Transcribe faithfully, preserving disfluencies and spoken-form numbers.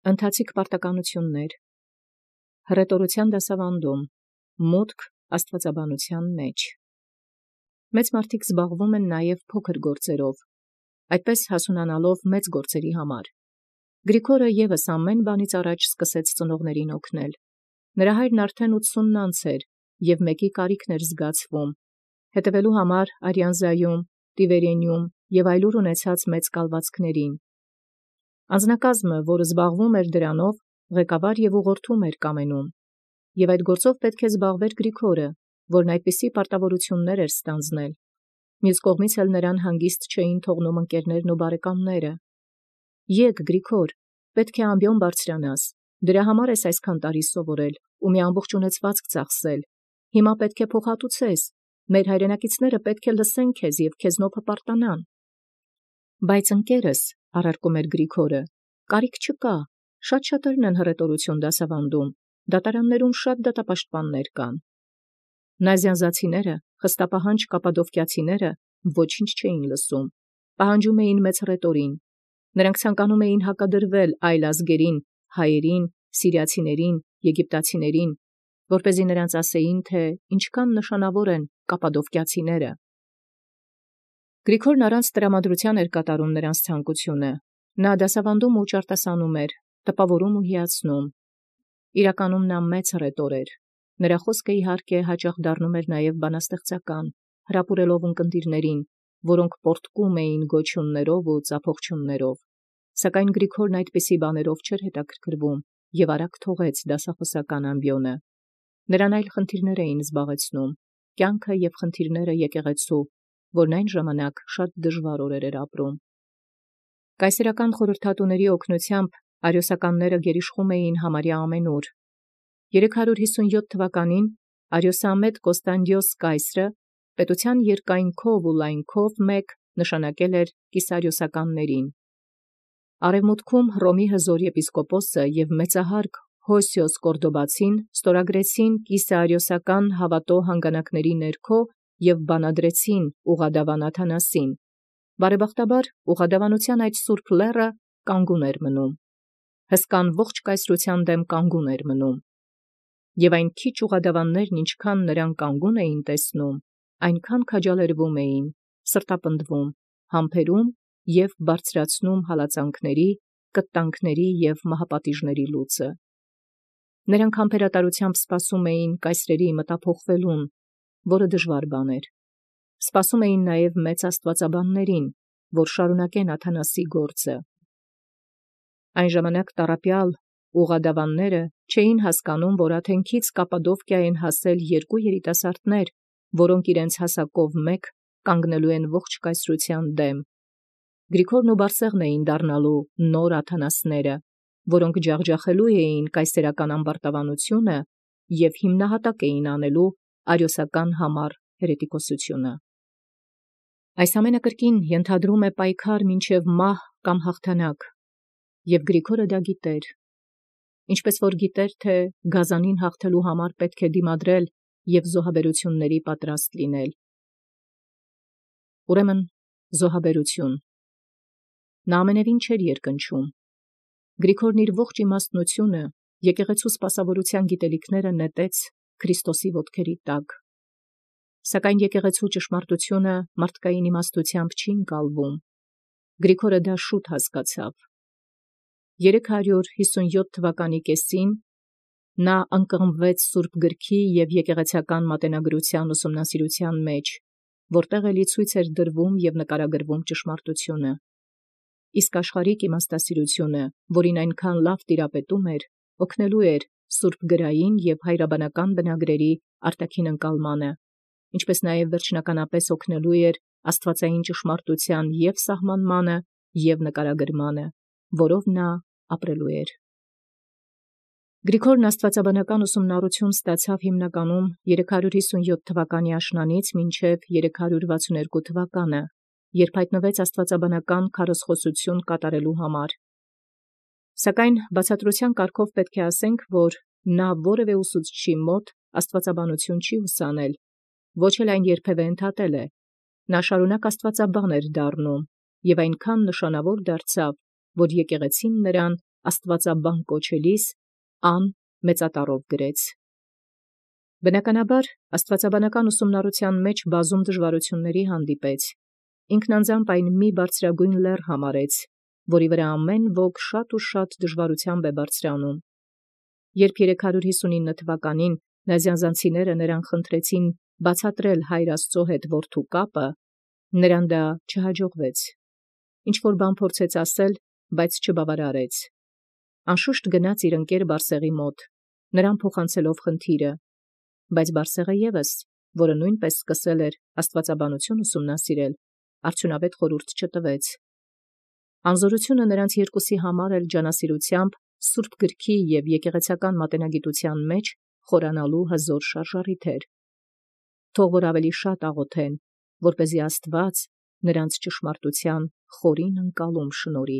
Ընթացիկ պարտականութիւններ, հռետորութեան դասաւանդում, մուտք աստուածաբանութեան մեջ։ Մեծ մարդիկ զբաղվում են նաև փոքր գործերով, այդպես հասունանալով մեծ գործերի համար։ Գրիգորը եւս ամեն բանից առաջ սկսեց ծնողներին օգնել։ Նրա հայրն արդեն ութսունն անց էր, և մեկի կարիքն էր զգացվում, հետևելու համար Արիանզայում, Տիվերիենում և այլուր ունեցած մեծ կալվածքներին։ Անձնակազմը, որը զբաղվում էր դրանով, ղեկավար և ուղղորդում էր կամենում, և այդ գործով պետք է զբաղվեր Գրիգորը, որն այդպիսի պարտավորություններ էր ստանձնել։ Մյուս կողմից էլ նրան հանգիստ չէին թողնում ընկերներն ու բարեկամները։ «Եկ, Գրիգոր, պետք է ամբիոն բարձրանաս, դրա համար ես այսքան տարի սովորել ու մի ամբողջ ունեցվածք ծախսել, հիմա պետք է փոխհատուցես, մեր հայրենակիցները պետք է լսեն քեզ և քեզնով հպարտանան»։ Բայց ընկերս, առարկում էր Գրիգորը, կարիք չկա, շատ շատերն են հռետորութիւն դասաւանդում, դատարաններում շատ դատապաշտպաններ կան։ Նազյանզացիները, խստապահանջ կապադովկիացիները ոչինչ չէին լսում, պահանջում էին մեծ հռետորին։ Նրանք ցանկանում էին հակադրվել այլ ազգերին, հայերին, սիրիացիներին, եգիպտացիներին, որպեսզի նրանց ասեին, թե ինչքան նշանավոր են կապադովկիացիները։ Գրիգորն առանց տրամադրութեան էր կատարում նրանց ցանկությունը։ Նա դասաւանդում ու ճարտասանում էր, տպաւորում ու հիացնում։ Իրականում նա մեծ հռետոր էր։ Նրա խոսքը իհարկե հաճախ դառնում էր նաև բանաստեղծական, հրապուրելով ունկնդիրներին, որոնք պոռթկում էին գոչյուններով ու ծափողջույններով։ Սակայն Գրիգորն այդպիսի բաներով չէր հետաքրքրվում և արագ թողեց դասախոսական ամբիոնը։ Նրան այլ խնդիրներ էին զբաղեցնում, կյանքը և խնդիրները եկեղեցու, որն այն ժամանակ շատ դժվար օրեր էր ապրում։ Կայսերական խորհրդատուների օգնությամբ արիոսականները գերիշխում էին համարյա ամենուր։ երեք հարյուր յիսունյոթ թվականին արիոսամետ Կոստանդիոս կայսրը պետութեան երկայնքով ու լայնքով մեկ նշանակել էր կիսարիոսականներին։ Արևմուտքում Հռոմի հզոր եպիսկոպոսը և մեծահարգ Հոսիոս Կորդոբացին ստորագրեցին կիսարիոսական հավատո հանգանակների ներքո և բանադրեցին Ուղադավան Աթանասին։ Բարեբախտաբար ուղադավանութեան այդ սուրբ լեռը կանգուն էր մնում, հսկան ողջ կայսրութեան դէմ կանգուն էր մնում։ Եւ այն քիչ ուղադավաններն ինչքան նրան կանգուն էին տեսնում, այնքան քաջալերվում էին, սրտապնդվում, համբերում և բարձրացնում հալածանքների, կտանքների և մահապատիժների լուծը։ Նրանք համբերատարութեամբ սպասում էին կայսրերի մտափոխվելուն, որը դժվար բան էր։ Սպասում էին նաև մեծ աստուածաբաններին, որ շարունակեն Աթանասի գործը։ Այն ժամանակ տառապյալ ուղադավանները չէին հասկանում, որ Աթենքից Կապադովկիա են հասել երկու երիտասարդներ, որոնք իրենց հասակով մեկ կանգնելու են ողջ կայսրութեան դեմ։ Գրիգորն ու Բարսեղն էին դառնալու նոր Աթանասները, որոնք ջախջախելու էին կայսերական ամբարտավանությունը և հիմնահատակ էին անելու արիոսական համառ հերետիկոսությունը։ Այս ամենը կրկին ենթադրում է պայքար մինչև մահ կամ հաղթանակ, և Գրիգորը դա գիտեր, ինչպես որ գիտեր, թե գազանին հաղթելու համար պետք է դիմադրել և զոհաբերությունների պատրաստ լինել։ Ուրեմն զոհաբերություն։ Նա ամենևին չէր երկնչում։ Գրիգորն իր ողջ իմաստնությունը, եկեղեցու սպասավորութեան գիտելիքները նետեց Քրիստոսի ոտքերի տակ։ Սակայն եկեղեցու ճշմարտությունը մարդկային իմաստութեամբ չի ընկալվում։ Գրիգորը դա շուտ հասկացավ։ Երեք հարյուր յիսունյոթ թվականի կեսին նա ընկղմվեց Սուրբ Գրքի և եկեղեցական մատենագրութեան ուսումնասիրութեան մեջ, որտեղ էլի ցույց էր դրվում և նկարագրվում ճշմարտությունը։ Իսկ աշխարհիկ իմաստասիրությունը, որին այնքան լավ տիրապետում էր, օգնելու էր սուրբ գրային և հայրաբանական բնագրերի արտաքին ընկալմանը, ինչպես նաև վերջնականապես օգնելու էր աստվածային ճշմարտութեան և սահմանմանը, և նկարագրմանը, որով նա ապրելու էր։ Գրիգորն աստվածաբանական ուսումնառութիւն ստացավ հիմնականում երեք հարյուր յիսունյոթ թվականի աշնանից մինչև երեք հարյուր վաթսունհերկու թվականը, երբ հայտնվեց աստվածաբանական քարոզխոսություն կատարելու համար։ Սակայն բացատրութեան կարգով պետք է ասենք, որ նա որևէ ուսուցչի մոտ աստվածաբանություն չի ուսանել, ոչ էլ այն երբևէ ընդհատել է։ Նա շարունակ աստվածաբան էր դառնում, և այնքան նշանավոր դարձավ, որ եկեղեցին նրան աստուածաբան կոչելիս ան մեծատառով գրեց։ Բնականաբար աստուածաբանական ուսումնառութեան մեջ բազում դժվարութիւնների հանդիպեց, ինքն անձամբ այն մի բարձրագոյն լեռ համարեց, որի վրա ամեն ոք շատ ու շատ դժվարութեամբ է բարձրանում։ Երբ երեք հարյուր յիսունինը թվականին նազյանզանցիները նրան խնդրեցին բացատրել հայր Աստուծոյ հետ որդու կապը, նրան դա չհաջողվեց։ Ինչ որ բան փորձեց ասել, բայց չբավարարեց։ Անշուշտ գնաց իր ընկեր Բարսեղի մոտ, նրան փոխանցելով խնդիրը, բայց Բարսեղը ևս, որը նույնպես սկսել էր աստուածաբանություն ուսումնասիրել, արդյունավետ խորհուրդ չտվեց։ Անզորությունը նրանց երկուսի համար էլ ջանասիրութեամբ Սուրբ գրքի և եկեղեցական մատենագիտութեան մեջ խորանալու հզոր շարժառիթ էր։ Թող որ ավելի շատ աղոթեն, որպեսզի Աստուած նրանց ճշմարտութեան խորին ընկալում շնորհի։